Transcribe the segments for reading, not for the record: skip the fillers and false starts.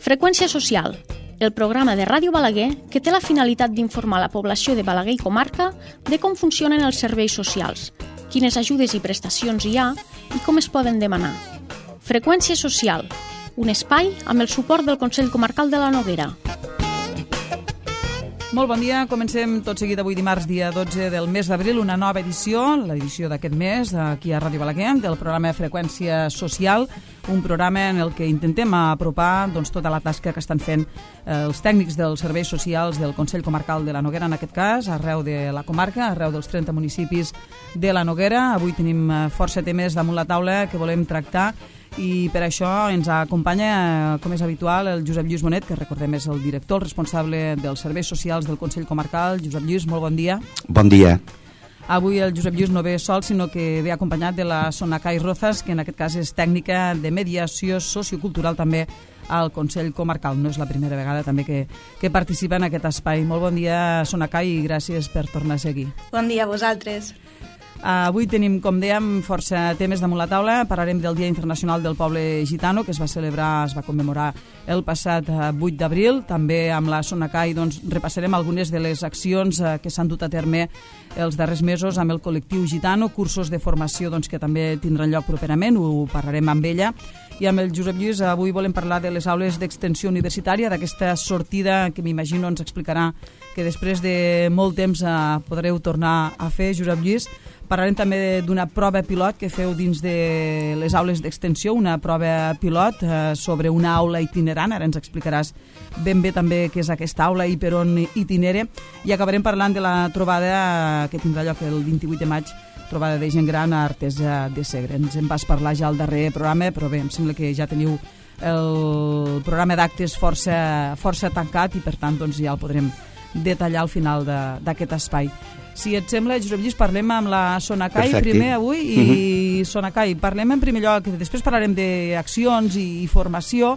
Freqüència social, el programa de Ràdio Balaguer que té la finalitat d'informar la població de Balaguer i comarca de com funcionen els serveis socials, quines ajudes i prestacions hi ha i com es poden demanar. Freqüència social, un espai amb el suport del Consell Comarcal de la Noguera. Molt bon dia, comencem tot seguit avui dimarts, dia 12 del mes d'abril, una nova edició, l'edició d'aquest mes, aquí a Ràdio Balaguer, del programa Freqüència Social, un programa en el que intentem apropar tota la tasca que estan fent els tècnics dels serveis socials del Consell Comarcal de la Noguera, en aquest cas, arreu de la comarca, arreu dels 30 municipis de la Noguera. Avui tenim força temes damunt la taula que volem tractar i per això ens acompanya, com és habitual, el Josep Lluís Bonet, que recordem és el director, el responsable dels serveis socials del Consell Comarcal. Josep Lluís, molt bon dia. Bon dia. Avui el Josep Lluís no ve sol, sinó que ve acompanyat de la Sonacay Rozas, que en aquest cas és tècnica de mediació sociocultural també al Consell Comarcal. No és la primera vegada també que participa en aquest espai. Molt bon dia, Sonacay, i gràcies per tornar a ser aquí. Bon dia a vosaltres. Avui tenim, com dèiem, força temes damunt la taula. Parlarem del Dia Internacional del Poble Gitano, que es va commemorar el passat 8 d'abril. També amb la Sonacay repassarem algunes de les accions que s'han dut a terme els darrers mesos amb el col·lectiu gitano, cursos de formació que també tindran lloc properament, ho parlarem amb ella. I amb el Josep Lluís avui volem parlar de les aules d'extensió universitària, d'aquesta sortida que m'imagino ens explicarà que després de molt temps podreu tornar a fer, Josep Lluís. Parlarem també d'una prova pilot que feu dins de les aules d'extensió, una prova pilot sobre una aula itinerant. Ara ens explicaràs ben bé també què és aquesta aula i per on itinere. I acabarem parlant de la trobada que tindrà lloc el 28 de maig, trobada de gent gran a Artesa de Segre. Ens en vas parlar ja al darrer programa, però bé, em sembla que ja teniu el programa d'actes força tancat i per tant ja el podrem detallar al final d'aquest espai. Si et sembla, Josep Lluís, parlem amb la Sonacay primer avui i Sonacay, parlem en primer lloc, després parlarem d'accions i formació,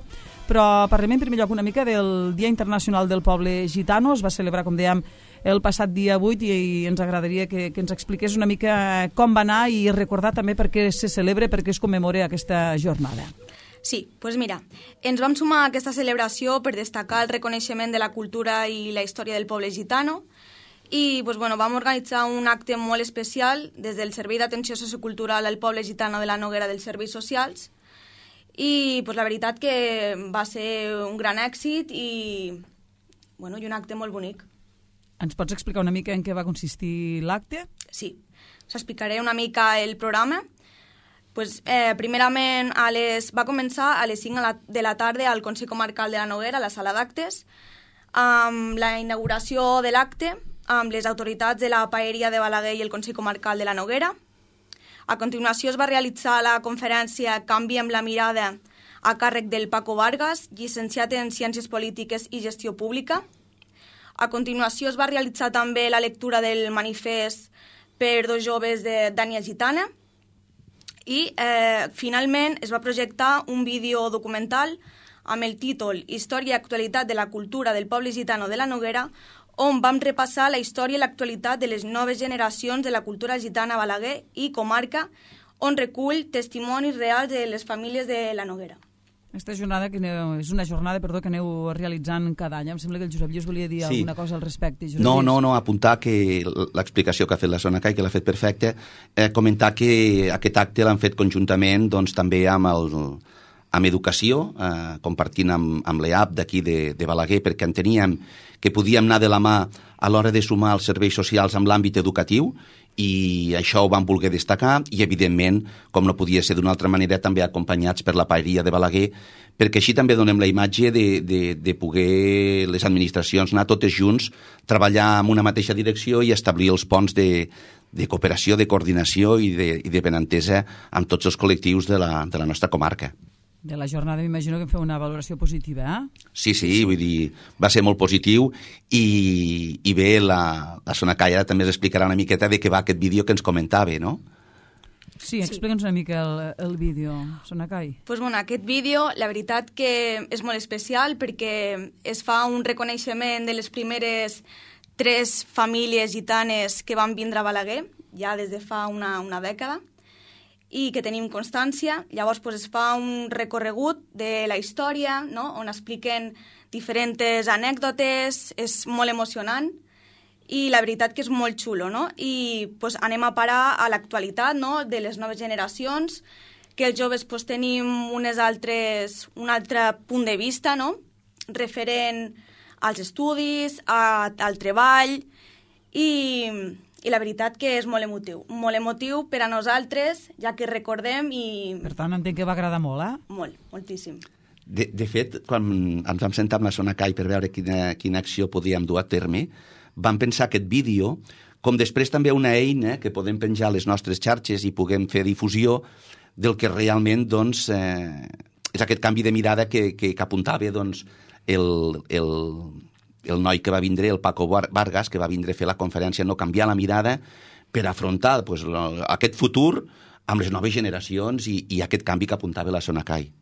però parlem en primer lloc una mica del Dia Internacional del Poble Gitano. Es va celebrar, com dèiem, el passat dia 8 i ens agradaria que ens expliqués una mica com va anar i recordar també per què se celebra, per què es commemora aquesta jornada. Sí, doncs mira, ens vam sumar a aquesta celebració per destacar el reconeixement de la cultura i la història del poble gitano i vam organitzar un acte molt especial des del Servei d'Atenció Sociocultural al Poble Gitano de la Noguera dels Serveis Socials i la veritat que va ser un gran èxit i un acte molt bonic. Ens pots explicar una mica en què va consistir l'acte? Sí, us explicaré una mica el programa. Primerament va començar a les 5 de la tarda al Consell Comarcal de la Noguera, a la sala d'actes, amb la inauguració de l'acte, amb les autoritats de la Paeria de Balaguer i el Consell Comarcal de la Noguera. A continuació es va realitzar la conferència Canviem la mirada a càrrec del Paco Vargas, llicenciat en Ciències Polítiques i Gestió Pública. A continuació es va realitzar també la lectura del manifest per dos joves de d'ètnia gitana i finalment es va projectar un vídeo documental amb el títol Història i actualitat de la cultura del poble gitano de la Noguera, on vam repassar la història i l'actualitat de les noves generacions de la cultura gitana a Balaguer i comarca, on recull testimonis reals de les famílies de la Noguera. Aquesta jornada és una jornada que aneu realitzant cada any. Em sembla que el Josep Lluís volia dir alguna cosa al respecte. No, apuntar que l'explicació que ha fet la Sonacay, que l'ha fet perfecta, comentar que aquest acte l'han fet conjuntament també amb Educació, compartint amb l'EAP d'aquí de Balaguer, perquè enteníem que podíem anar de la mà a l'hora de sumar els serveis socials amb l'àmbit educatiu i això ho vam voler destacar i, evidentment, com no podia ser d'una altra manera, també acompanyats per la Paeria de Balaguer, perquè així també donem la imatge de poder les administracions anar totes junts, treballar en una mateixa direcció i establir els ponts de cooperació, de coordinació i de benentesa amb tots els col·lectius de la nostra comarca. De la jornada m'imagino que feu una valoració positiva, eh? Sí, vull dir, va ser molt positiu i bé, la Sonacay ara també ens explicarà una miqueta de què va aquest vídeo que ens comentava, no? Sí, explica'ns una mica el vídeo, Sonacay. Aquest vídeo, la veritat que és molt especial perquè es fa un reconeixement de les primeres 3 famílies gitanes que van vindre a Balaguer, ja des de fa una dècada, i que tenim constància. Llavors es fa un recorregut de la història, no? On expliquen diferents anècdotes, és molt emocionant i la veritat que és molt xulo, no? I anem a parar a l'actualitat, no? De les noves generacions, que els joves tenim un altre punt de vista, no? Referent als estudis, al treball, i la veritat que és molt emotiu per a nosaltres, ja que recordem i... Per tant, entenc que va agradar molt, eh? Molt, moltíssim. De fet, quan ens vam sentar amb la Sonacai per veure quina acció podíem dur a terme, vam pensar aquest vídeo, com després també una eina que podem penjar a les nostres xarxes i puguem fer difusió del que realment és aquest canvi de mirada que apuntava el noi que va vindre, el Paco Vargas, que va vindre a fer la conferència, no canviar la mirada per afrontar aquest futur amb les noves generacions i aquest canvi que apuntava la Sonacai.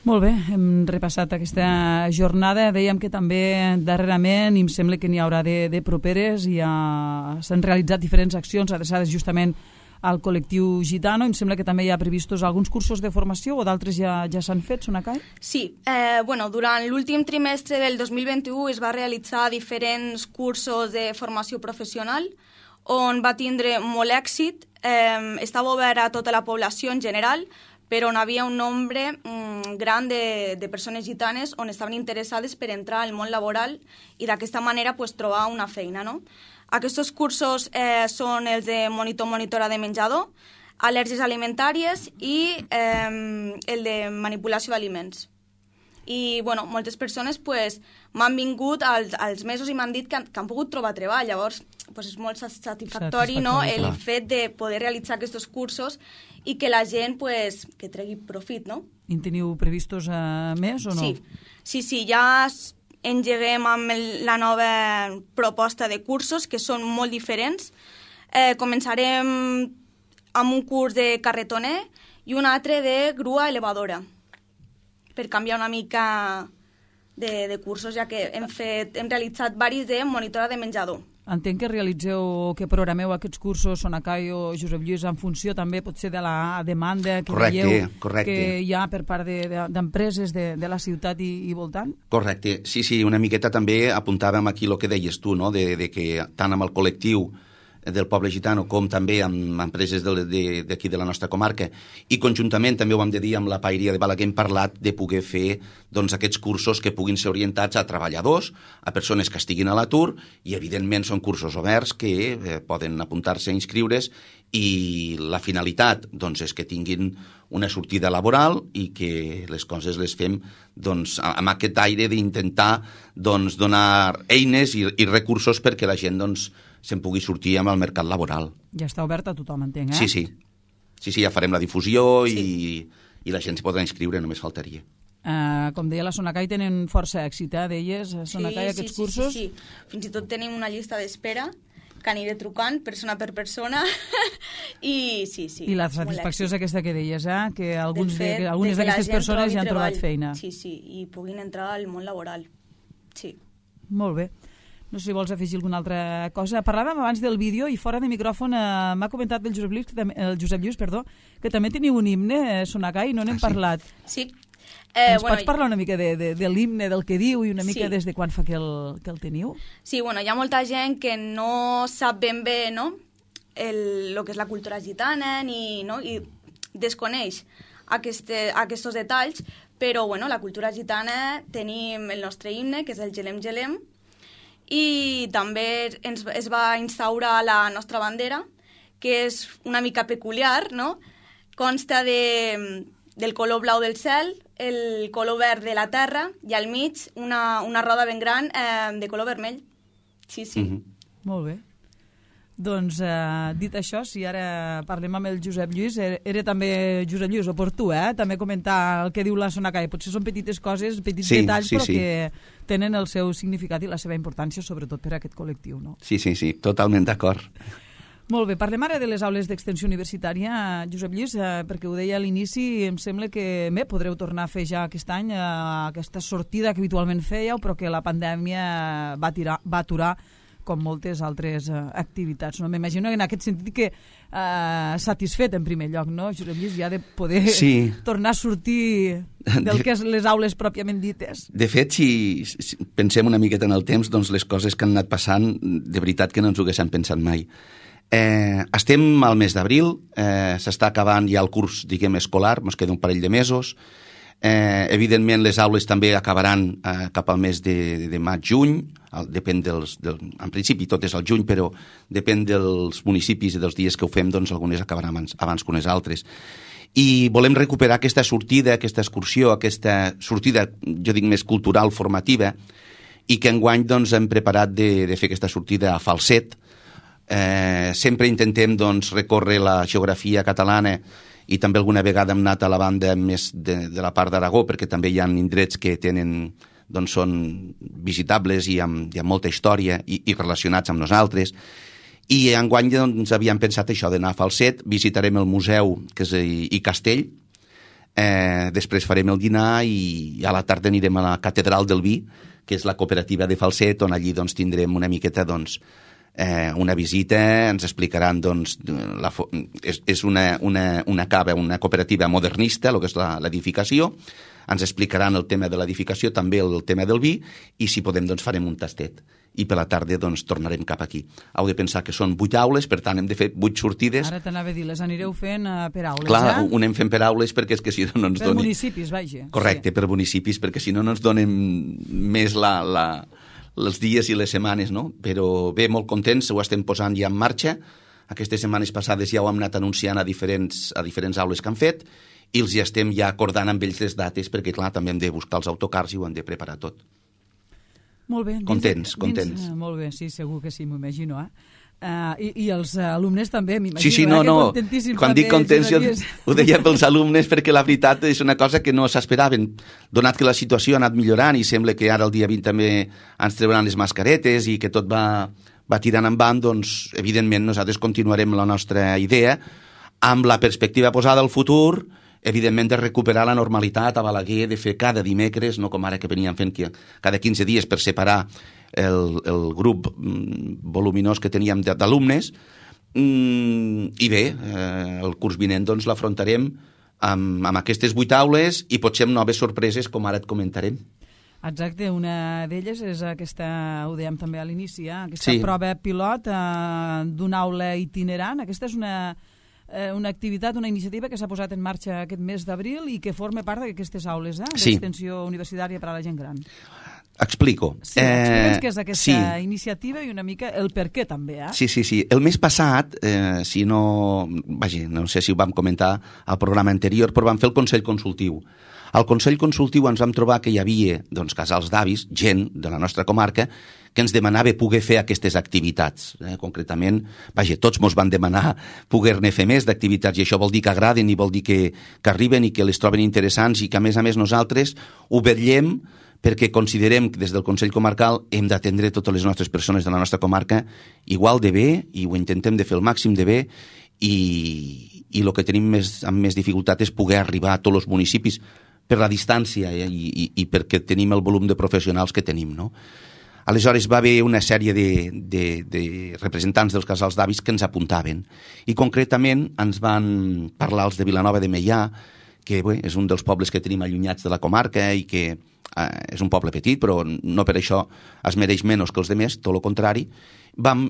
Molt bé, hem repassat aquesta jornada. Dèiem que també darrerament, i em sembla que n'hi haurà de properes, s'han realitzat diferents accions adreçades justament al col·lectiu gitano. Em sembla que també hi ha previstos alguns cursos de formació o d'altres ja s'han fet, Sonacai? Sí, durant l'últim trimestre del 2021 es va realitzar diferents cursos de formació professional on va tindre molt èxit. Estava obert a tota la població en general, però on havia un nombre gran de persones gitanes on estaven interessades per entrar al món laboral i d'aquesta manera trobar una feina, no? Aquests cursos són els de monitora de menjador, al·lèrgies alimentàries i el de manipulació d'aliments. I moltes persones m'han vingut als mesos i m'han dit que han pogut trobar treball. Llavors és molt satisfactori, no? El fet de poder realitzar aquests cursos i que la gent que tregui profit, no? En teniu previstos més o no? Sí, ja engeguem amb la nova proposta de cursos, que són molt diferents. Començarem amb un curs de carretoner i un altre de grua elevadora, per canviar una mica de cursos, ja que hem realitzat varis de monitora de menjador. Entenc que realitzeu, que programeu aquests cursos, Sonacai o Josep Lluís, en funció també potser de la demanda que veieu que hi ha per part d'empreses de la ciutat i voltant? Correcte, sí, una miqueta també apuntàvem aquí el que deies tu, no? de que tant amb el col·lectiu del poble gitano com també amb empreses d'aquí de la nostra comarca i conjuntament també ho vam de dir amb la Paeria de Balaguer, hem parlat de poder fer aquests cursos que puguin ser orientats a treballadors, a persones que estiguin a l'atur i evidentment són cursos oberts que poden apuntar-se a inscriure's i la finalitat és que tinguin una sortida laboral i que les coses les fem amb aquest aire d'intentar donar eines i recursos perquè la gent se'n pugui sortir amb el mercat laboral. Ja està obert a tothom, entenc, eh? Sí, ja farem la difusió i la gent s'hi podrà inscriure, només faltaria. Com deia la Sonacai, tenen força èxit, deies, Sonacai, aquests cursos? Sí. Fins i tot tenim una llista d'espera que aniré trucant persona per persona i sí. I la satisfacció és aquesta que deies, que algunes d'aquestes persones ja han trobat feina. Sí, i puguin entrar al món laboral. Sí. Molt bé. No sé si vols afegir alguna altra cosa. Parlàvem abans del vídeo i fora de micròfon m'ha comentat el Josep Lluís, que també teniu un himne, Sonacai, no n'hem parlat. Sí. Ens pots parlar una mica de l'himne, del que diu i una mica des de quan fa que el teniu? Sí, hi ha molta gent que no sap ben bé, no?, el que és la cultura gitana i desconeix aquests detalls, però la cultura gitana tenim el nostre himne, que és el Gelem Gelem, i també es va instaurar la nostra bandera, que és una mica peculiar, no? Consta del color blau del cel, el color verd de la terra i al mig una roda ben gran de color vermell. Sí. Molt bé. Doncs, dit això, si ara parlem amb el Josep Lluís, era també, Josep Lluís, oportú, també comentar el que diu la Sonacai. Potser són petites coses, petits detalls, però que tenen el seu significat i la seva importància, sobretot per a aquest col·lectiu, no? Sí, totalment d'acord. Molt bé, parlem ara de les aules d'extensió universitària, Josep Lluís, perquè ho deia a l'inici, em sembla que podreu tornar a fer ja aquest any aquesta sortida que habitualment fèieu, però que la pandèmia va aturar com moltes altres activitats. No? M'imagino en aquest sentit que satisfet en primer lloc, no, Josep Lluís, ja de poder tornar a sortir del que és les aules pròpiament dites. De fet, si pensem una miqueta en el temps, doncs les coses que han anat passant, de veritat que no ens ho haguéssim pensat mai. Estem al mes d'abril, s'està acabant ja el curs, diguem, escolar, ens queda un parell de mesos. Evidentment les aules també acabaran cap al mes de maig-juny, depèn en principi tot és al juny, però depèn dels municipis i dels dies que ho fem, doncs algunes acabaran abans que unes altres. I volem recuperar aquesta sortida, aquesta excursió, aquesta sortida, jo dic més cultural, formativa, i que enguany doncs, hem preparat de fer aquesta sortida a Falset. Sempre intentem doncs, recórrer la geografia catalana i també alguna vegada hem anat a la banda més de la part d'Aragó, perquè també hi ha indrets que tenen, doncs són visitables i amb molta història i relacionats amb nosaltres. I enguany doncs, havíem pensat això d'anar a Falset, visitarem el museu que és i Castell, després farem el dinar i a la tarda anirem a la Catedral del Vi, que és la cooperativa de Falset, on allí doncs, tindrem una miqueta doncs, una visita, ens explicaran doncs, és una cava, una cooperativa modernista, el que és l'edificació, ens explicaran el tema de l'edificació, també el tema del vi, i si podem doncs farem un tastet i per la tarda doncs tornarem cap aquí. Heu de pensar que són 8 aules, per tant hem de fer 8 sortides. Ara t'anava a dir, les anireu fent per aules, Clar, ho anem fent per aules perquè és que si no ens per donen... municipis, vaja. Correcte, per municipis, perquè si no ens donen més els dies i les setmanes, no? Però bé, molt contents, ho estem posant ja en marxa. Aquestes setmanes passades ja ho hem anat anunciant a diferents aules que han fet i els ja estem ja acordant amb ells les dates perquè, clar, també hem de buscar els autocars i ho hem de preparar tot. Molt bé. Contents. Molt bé, sí, segur que sí, m'ho imagino, I els alumnes també, m'imagino. Sí, no. Quan dic contents, jo ho deia pels alumnes perquè la veritat és una cosa que no s'esperaven. Donat que la situació ha anat millorant i sembla que ara el dia 20 també ens trauran les mascaretes i que tot va tirant endavant, doncs, evidentment, nosaltres continuarem la nostra idea amb la perspectiva posada al futur, evidentment, de recuperar la normalitat a Balaguer, de fer cada dimecres, no com ara que veníem fent cada 15 dies per separar el grup voluminós que teníem d'alumnes, i bé, el curs vinent doncs l'afrontarem amb aquestes 8 aules i potser amb noves sorpreses, com ara et comentarem. Exacte, una d'elles és aquesta, ho dèiem també a l'inici, aquesta prova pilot d'una aula itinerant. Aquesta és una activitat, una iniciativa que s'ha posat en marxa aquest mes d'abril i que forma part d'aquestes aules d'extensió universitària per a la gent gran. Explico. Sí, explica'ns què és aquesta iniciativa i una mica el per què també. Sí. El mes passat, no sé si ho vam comentar al programa anterior, però vam fer el Consell Consultiu. Al Consell Consultiu ens vam trobar que hi havia casals d'avis, gent de la nostra comarca, que ens demanava poder fer aquestes activitats. Concretament, tots mos van demanar poder-ne fer més d'activitats i això vol dir que agraden i vol dir que arriben i que les troben interessants i que a més nosaltres ho vetllem perquè considerem que des del Consell Comarcal hem d'atendre totes les nostres persones de la nostra comarca igual de bé i ho intentem de fer el màxim de bé i el que tenim amb més dificultat és poder arribar a tots els municipis per la distància i perquè tenim el volum de professionals que tenim, no? Aleshores va haver una sèrie de representants dels casals d'avis que ens apuntaven i concretament ens van parlar els de Vilanova de Meià, que és un dels pobles que tenim allunyats de la comarca i que és un poble petit, però no per això es mereix menys que els altres, tot el contrari. Vam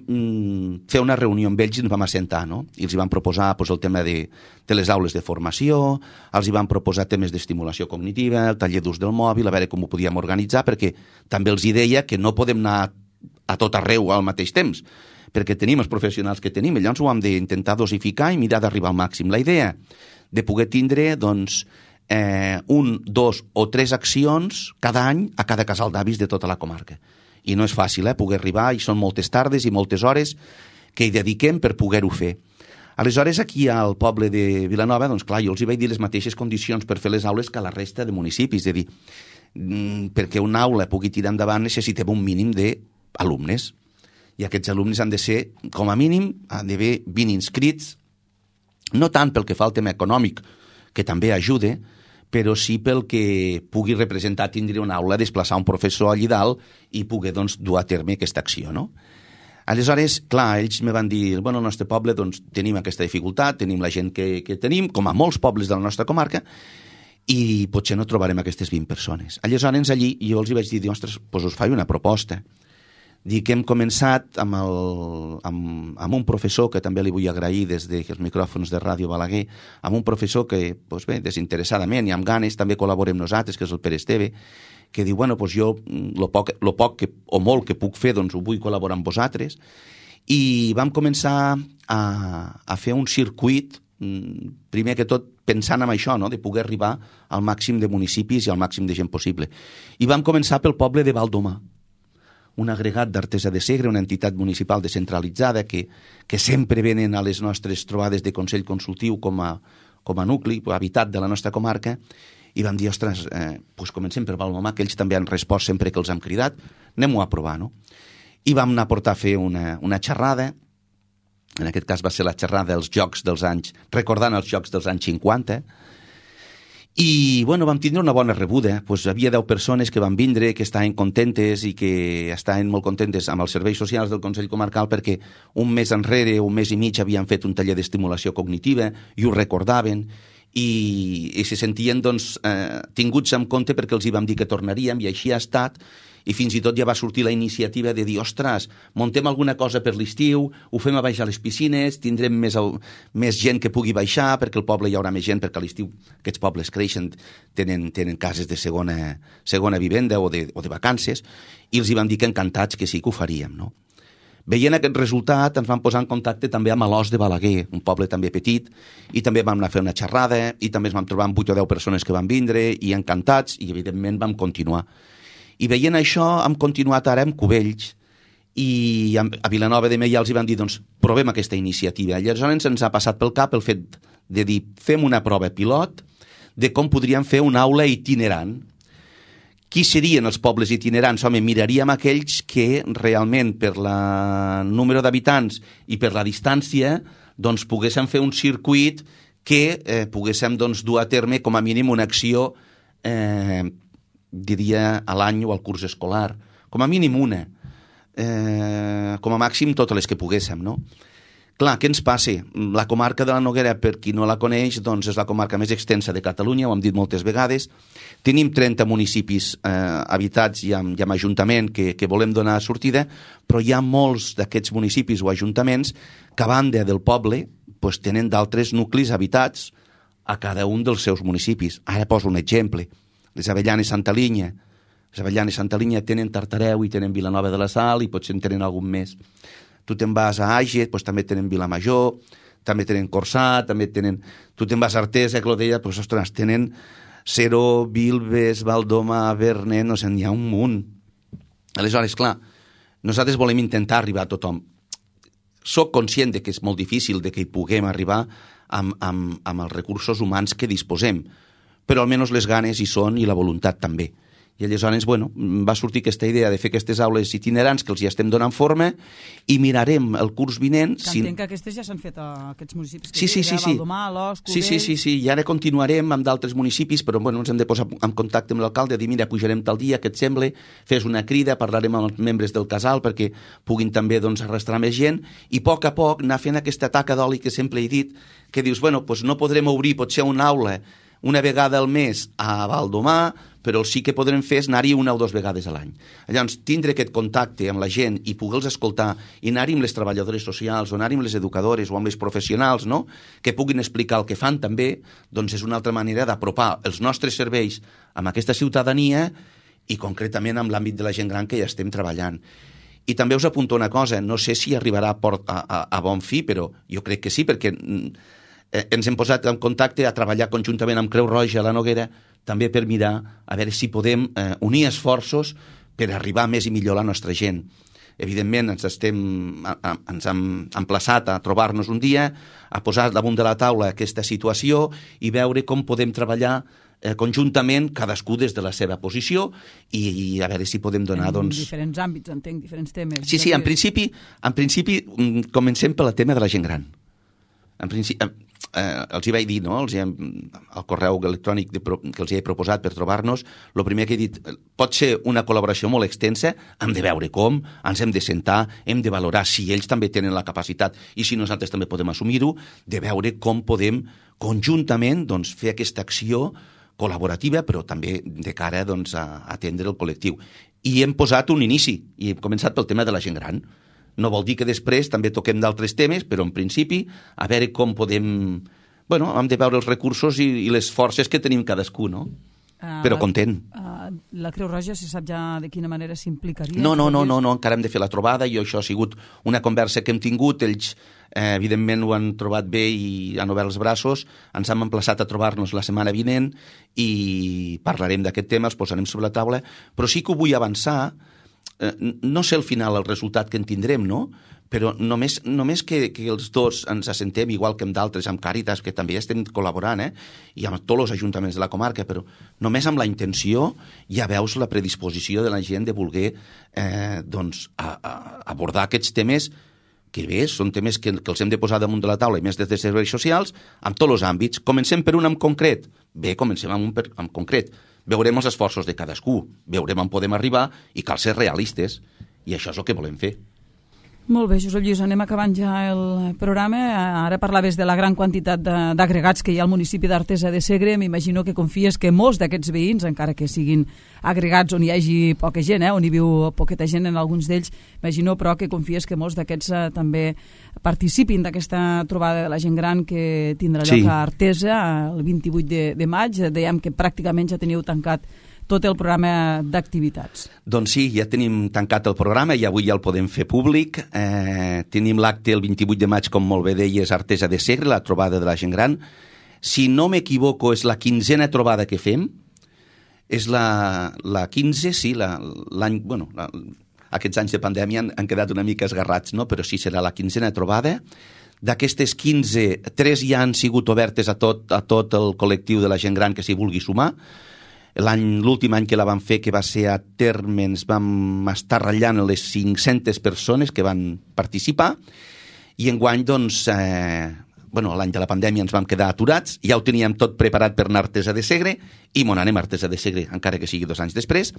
fer una reunió amb ells i ens vam assentar, no? I els hi vam proposar el tema de les aules de formació, els hi vam proposar temes d'estimulació cognitiva, el taller d'ús del mòbil, a veure com ho podíem organitzar, perquè també els hi deia que no podem anar a tot arreu al mateix temps, perquè tenim els professionals que tenim, i llavors ho hem d'intentar dosificar i mirar d'arribar al màxim. La idea de poder tindre, doncs, 1, 2 o 3 accions cada any a cada casal d'avis de tota la comarca. I no és fàcil, poder arribar, i són moltes tardes i moltes hores que hi dediquem per poder-ho fer. Aleshores, aquí al poble de Vilanova, doncs clar, jo els hi vaig dir les mateixes condicions per fer les aules que a la resta de municipis, és a dir, perquè una aula pugui tirar endavant necessitem un mínim d'alumnes, i aquests alumnes han de ser, com a mínim, han d'haver 20 inscrits, no tant pel que fa al tema econòmic, que també ajuda, però sí pel que pugui representar tindre una aula, desplaçar un professor allí dalt i poder doncs, dur a terme aquesta acció, no? Aleshores, clar, ells me van dir, bueno, al nostre poble doncs, tenim aquesta dificultat, tenim la gent que tenim, com a molts pobles de la nostra comarca, i potser no trobarem aquestes 20 persones. Aleshores, allí, jo els vaig dir, ostres, doncs us faig una proposta. Dic que hem començat amb un professor, que també li vull agrair des dels micròfons de Ràdio Balaguer, amb un professor que, doncs bé, desinteressadament i amb ganes, també col·labora amb nosaltres, que és el Pere Esteve, que diu, bueno, doncs jo, lo poc o molt que puc fer, doncs ho vull col·laborar amb vosaltres. I vam començar a fer un circuit, primer que tot pensant en això, no?, de poder arribar al màxim de municipis i al màxim de gent possible. I vam començar pel poble de Valdomà, un agregat d'Artesa de Segre, una entitat municipal descentralitzada que sempre venen a les nostres trobades de Consell Consultiu com a nucli habitat de la nostra comarca, i vam dir, ostres, doncs comencem per Valdomà, que ells també han respost sempre que els hem cridat, anem-ho a provar, no? I vam anar a portar a fer una xerrada, en aquest cas va ser la xerrada dels Jocs dels anys, recordant els Jocs dels anys 50, i, bueno, vam tindre una bona rebuda. Pues havia 10 persones que van vindre, que estaven contentes i que estaven molt contentes amb els serveis socials del Consell Comarcal perquè un mes enrere, un mes i mig, havien fet un taller d'estimulació cognitiva i ho recordaven i se sentien, doncs, tinguts en compte perquè els hi vam dir que tornaríem i així ha estat. I fins i tot ja va sortir la iniciativa de dir, ostres, muntem alguna cosa per l'estiu, ho fem a baixar les piscines, tindrem més gent que pugui baixar, perquè al poble hi haurà més gent, perquè a l'estiu aquests pobles creixen, tenen cases de segona vivenda o de vacances, i els hi vam dir que encantats que sí que ho faríem, no? Veient aquest resultat, ens vam posar en contacte també amb l'Os de Balaguer, un poble també petit, i també vam anar a fer una xerrada, i també ens vam trobar amb 8 o 10 persones que van vindre, i encantats, i evidentment vam continuar. I veient això, hem continuat ara amb Cubells, i a Vilanova de Meià els hi van dir, doncs, provem aquesta iniciativa. I aleshores ens ha passat pel cap el fet de dir, fem una prova pilot de com podríem fer una aula itinerant. Qui serien els pobles itinerants? Home, miraríem aquells que realment per el número d'habitants i per la distància doncs poguéssim fer un circuit que poguéssim doncs, dur a terme com a mínim una acció diria a l'any o al curs escolar. Com a mínim una. Com a màxim totes les que poguéssim, no? Clar, què ens passa? La comarca de la Noguera, per qui no la coneix, doncs és la comarca més extensa de Catalunya, ho hem dit moltes vegades. Tenim 30 municipis habitats i amb ajuntament que volem donar sortida, però hi ha molts d'aquests municipis o ajuntaments que a banda del poble doncs, tenen d'altres nuclis habitats a cada un dels seus municipis. Ara poso un exemple. Les Avellanes Santa Linya. Les Avellanes Santa Linya tenen Tartareu i tenen Vilanova de la Sal i potser en tenen algun més. Tu te'n vas a Àger, doncs també tenen Vilamajor, també tenen Corçà, també tenen... Tu te'n vas a Artesa, Clodella, doncs, ostres, tenen Seró, Vilves, Valdomà, Verne, no sé, n'hi ha un munt. Aleshores, clar, nosaltres volem intentar arribar a tothom. Soc conscient de que és molt difícil de que hi puguem arribar amb els recursos humans que disposem, però almenys les ganes hi són i la voluntat també. I aleshores, bueno, va sortir aquesta idea de fer aquestes aules itinerants que els hi estem donant forma i mirarem el curs vinent... Que entenc que aquestes ja s'han fet a aquests municipis que sí. Valdomà, L'Os, Cubells... Sí, i ara continuarem amb d'altres municipis, però bueno, ens hem de posar en contacte amb l'alcalde, dir, mira, pujarem tal dia, què et sembla? Fes una crida, parlarem amb els membres del casal perquè puguin també doncs, arrastrar més gent i a poc anar fent aquesta taca d'oli que sempre he dit, que dius, bueno, doncs no podrem obrir potser una aula una vegada al mes a Valdomà, però el sí que podrem fer és anar-hi una o dues vegades a l'any. Llavors, tindre aquest contacte amb la gent i poder-los escoltar i anar-hi amb les treballadores socials o anar-hi amb les educadores o amb les professionals, no?, que puguin explicar el que fan també, doncs és una altra manera d'apropar els nostres serveis amb aquesta ciutadania i concretament amb l'àmbit de la gent gran que ja estem treballant. I també us apunto una cosa, no sé si arribarà a bon fi, però jo crec que sí, perquè ens hem posat en contacte a treballar conjuntament amb Creu Roja a la Noguera, també per mirar a veure si podem unir esforços per arribar més i millor a la nostra gent. Evidentment, ens hem emplaçat a trobar-nos un dia, a posar damunt de la taula aquesta situació i veure com podem treballar conjuntament, cadascú des de la seva posició i a veure si podem donar... En diferents àmbits, entenc, diferents temes. Sí, en principi comencem pel tema de la gent gran. En principi, els hi vaig dir, no? Al correu electrònic que els hi he proposat per trobar-nos, el primer que he dit, pot ser una col·laboració molt extensa, hem de veure com, ens hem de sentar, hem de valorar si ells també tenen la capacitat i si nosaltres també podem assumir-ho, de veure com podem conjuntament doncs, fer aquesta acció col·laborativa, però també de cara doncs, a atendre el col·lectiu. I hem posat un inici, i hem començat pel tema de la gent gran. No vol dir que després també toquem d'altres temes, però en principi a veure com podem... Bueno, hem de veure els recursos i les forces que tenim cadascú, no? Però content. La Creu Roja, si sap ja de quina manera s'implicaria? No, encara hem de fer la trobada i això ha sigut una conversa que hem tingut. Ells, evidentment, ho han trobat bé i han obert els braços. Ens hem emplaçat a trobar-nos la setmana vinent i parlarem d'aquest tema, els posarem sobre la taula, però sí que ho vull avançar. No sé al final el resultat que en tindrem, no? Però només que els dos ens assentem, igual que amb d'altres, amb Càritas, que també estem col·laborant, i amb tots els ajuntaments de la comarca, però només amb la intenció ja veus la predisposició de la gent de voler doncs, abordar aquests temes que bé, són temes que els hem de posar damunt de la taula i més des de serveis socials, amb tots els àmbits. Comencem per un en concret? Bé, comencem amb un en concret. Veurem els esforços de cadascú, veurem on podem arribar i cal ser realistes. I això és el que volem fer. Molt bé, Josep Lluís, anem acabant ja el programa. Ara parlaves de la gran quantitat d'agregats que hi ha al municipi d'Artesa de Segre. M'imagino que confies que molts d'aquests veïns, encara que siguin agregats on hi hagi poca gent, on hi viu poqueta gent en alguns d'ells, imagino però que confies que molts d'aquests també participin d'aquesta trobada de la gent gran que tindrà lloc a Artesa el 28 de maig. Dèiem que pràcticament ja teniu tancat tot el programa d'activitats. Doncs sí, ja tenim tancat el programa i avui ja el podem fer públic. Tenim l'acte el 28 de maig, com molt bé deies, Artesa de Segre, la trobada de la gent gran. Si no m'equivoco, és la 15a trobada que fem. És la 15, sí, l'any... Bueno, aquests anys de pandèmia han quedat una mica esgarrats, no? Però sí, serà la 15a trobada. D'aquestes 15, 3 ja han sigut obertes a tot el col·lectiu de la gent gran que s'hi vulgui sumar. L'últim any que la vam fer, que va ser a terme, ens vam estar ratllant les 500 persones que van participar i enguany, doncs, l'any de la pandèmia ens vam quedar aturats, ja ho teníem tot preparat per anar a Artesa de Segre i m'on anem a Artesa de Segre, encara que sigui 2 anys després.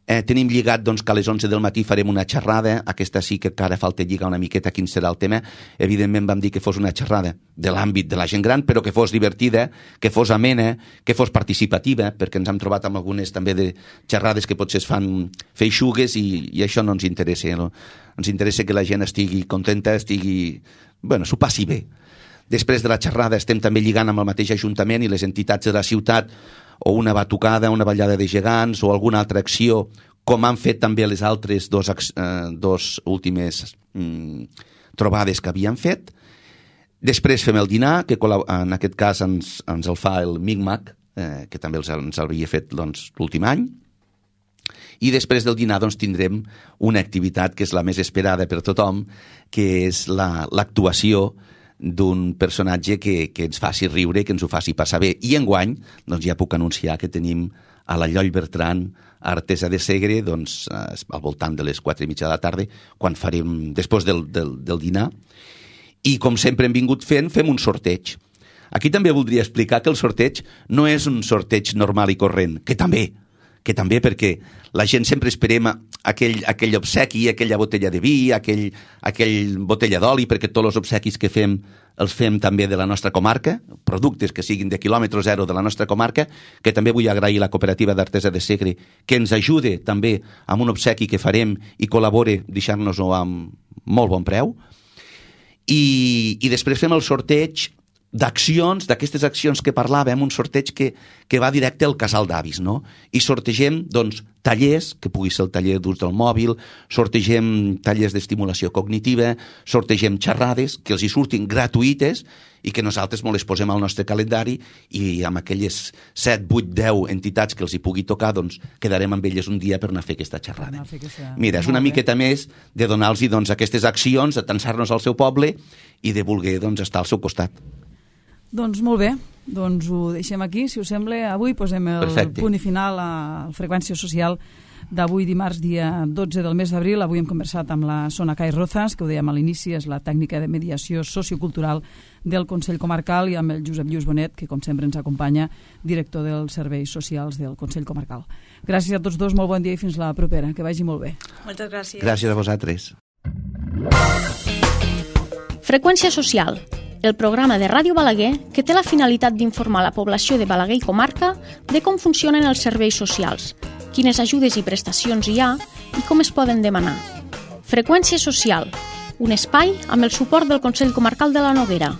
Tenim lligat doncs, que a les 11 del matí farem una xerrada, aquesta sí que encara falta lligar una miqueta quin serà el tema. Evidentment vam dir que fos una xerrada de l'àmbit de la gent gran, però que fos divertida, que fos amena, que fos participativa, perquè ens hem trobat amb algunes també de xerrades que potser es fan feixugues i això no ens interessa. No? Ens interessa que la gent estigui contenta, s'ho passi bé. Després de la xerrada estem també lligant amb el mateix Ajuntament i les entitats de la ciutat o una batucada, una ballada de gegants o alguna altra acció, com han fet també les altres dos últimes trobades que havien fet. Després fem el dinar, que en aquest cas ens el fa el MICMAC, que també ens l'havia fet l'últim any. I després del dinar tindrem una activitat que és la més esperada per tothom, que és l'actuació d'un personatge que ens faci riure, que ens ho faci passar bé. I enguany, ja puc anunciar que tenim a la Lloll Bertran, a Artesa de Segre, al voltant de les 4:30 de la tarda, quan farem, després del dinar. I com sempre hem vingut fem un sorteig. Aquí també voldria explicar que el sorteig no és un sorteig normal i corrent, que també perquè la gent sempre esperem aquell obsequi, aquella botella de vi, aquell botella d'oli, perquè tots els obsequis que fem els fem també de la nostra comarca, productes que siguin de quilòmetre zero de la nostra comarca, que també vull agrair a la cooperativa d'Artesa de Segre, que ens ajude també amb un obsequi que farem i col·labore deixant-nos-ho amb molt bon preu. I després fem el sorteig d'accions, d'aquestes accions que parlàvem, un sorteig que va directe al casal d'avis, no? I sortegem, tallers, que pugui ser el taller d'ús del mòbil, sortegem tallers d'estimulació cognitiva, sortegem xerrades que els hi surtin gratuïtes i que nosaltres les posem al nostre calendari i amb aquelles 7, 8, 10 entitats que els hi pugui tocar, quedarem amb elles un dia per anar a fer aquesta xerrada. Mira, és una miqueta més de donar-los aquestes accions, de tensar-nos al seu poble i de voler estar al seu costat. Doncs molt bé, Doncs ho deixem aquí, si us sembla. Avui posem el punt i final a la freqüència social d'avui dimarts, dia 12 del mes d'abril. Avui hem conversat amb la Sonacay Rozas, que ho dèiem a l'inici, és la tècnica de mediació sociocultural del Consell Comarcal, i amb el Josep Lluís Bonet, que com sempre ens acompanya, director dels serveis socials del Consell Comarcal. Gràcies a tots dos, molt bon dia i fins la propera. Que vagi molt bé. Moltes gràcies. Gràcies a vosaltres. Freqüència social, el programa de Ràdio Balaguer que té la finalitat d'informar la població de Balaguer i comarca de com funcionen els serveis socials, quines ajudes i prestacions hi ha i com es poden demanar. Freqüència social, un espai amb el suport del Consell Comarcal de la Noguera.